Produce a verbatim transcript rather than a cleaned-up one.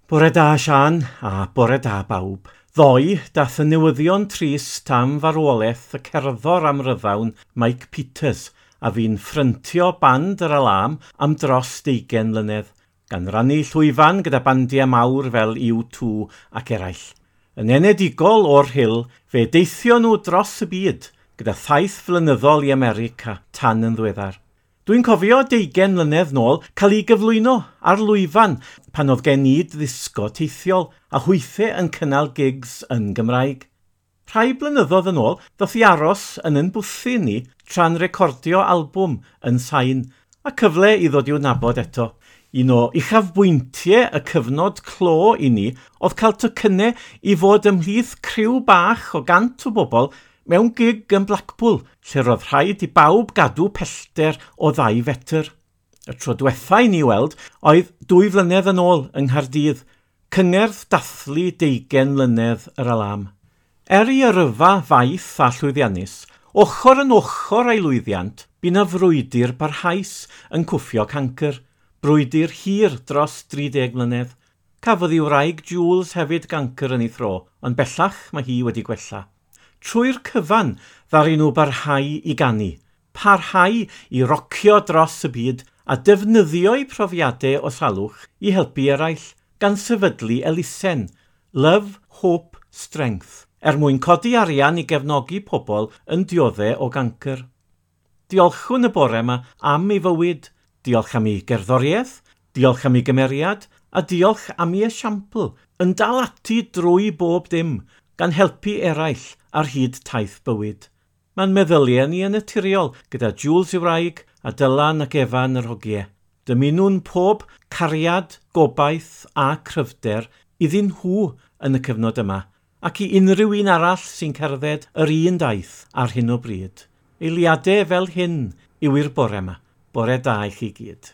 Bore da, Sian, a bore da bawb. Ddoe, dath y newyddion trist am farwolaeth y cerddor amryddawn Mike Peters, a fu'n ffryntio band yr Alarm am dros deugain mlynedd, gan rannu llwyfan gyda bandiau mawr fel U two ac eraill. Yn enedigol o'r Rhyl, fe deithio nhw dros y byd gyda thaith flynyddol i America tan yn ddiweddar. Dwi'n cofio deugain mlynedd nôl cael ei gyflwyno ar lwyfan pan oedd gen i ddisgo teithiol a hwythau yn cynnal gigs yn Gymraeg. Rhai blynyddoedd yn ôl, ddoth i aros yn yn bwthyn ni tra'n recordio albwm yn Sain, a cyfle i ddod i'w nabod eto. Un o uchafbwyntiau y cyfnod clo i ni oedd cael tocynnau i fod ymhlith criw bach o gant o bobl mewn gig yn Blackpool, lle roedd rhaid i bawb gadw pellter o ddau fetr. Y tro diwetha i ni weld oedd dwy flynedd yn ôl yng Nghaerdydd, cyngerdd dathlu deugain mlynedd yr Alarm. Er i yrfa faith a llwyddiannus, ochr yn ochr a'i lwyddiant, bu 'na frwydr barhaus yn cwffio cancr, brwydr hir dros dri deg mlynedd. Cafodd ei wraig Jules hefyd gancr yn ei thro, ond bellach mae hi wedi gwella. Trwy'r cyfan, ddaru nhw barhau i ganu, parhau i rocio dros y byd a defnyddio'u profiadau o salwch i helpu eraill, gan sefydlu elusen, Love, Hope, Strength, er mwyn codi arian i gefnogi pobl yn dioddef o gancr. Diolchwn y bore yma am ei fywyd, diolch am ei gerddoriaeth, diolch am ei gymeriad, a diolch am ei esiampl, yn dal ati drwy bob dim, gan helpu eraill ar hyd taith bywyd. Mae'n meddyliau ni yn naturiol gyda Jules ei wraig a Dylan ac Efan yr hogiau. Dymunwn pob cariad, gobaith a cryfder iddyn nhw yn y cyfnod yma, ac i unrhyw un arall sy'n cerdded yr un daith ar hyn o bryd. Eiliadau fel hyn yw i'r bore yma. Bore da i chi gyd.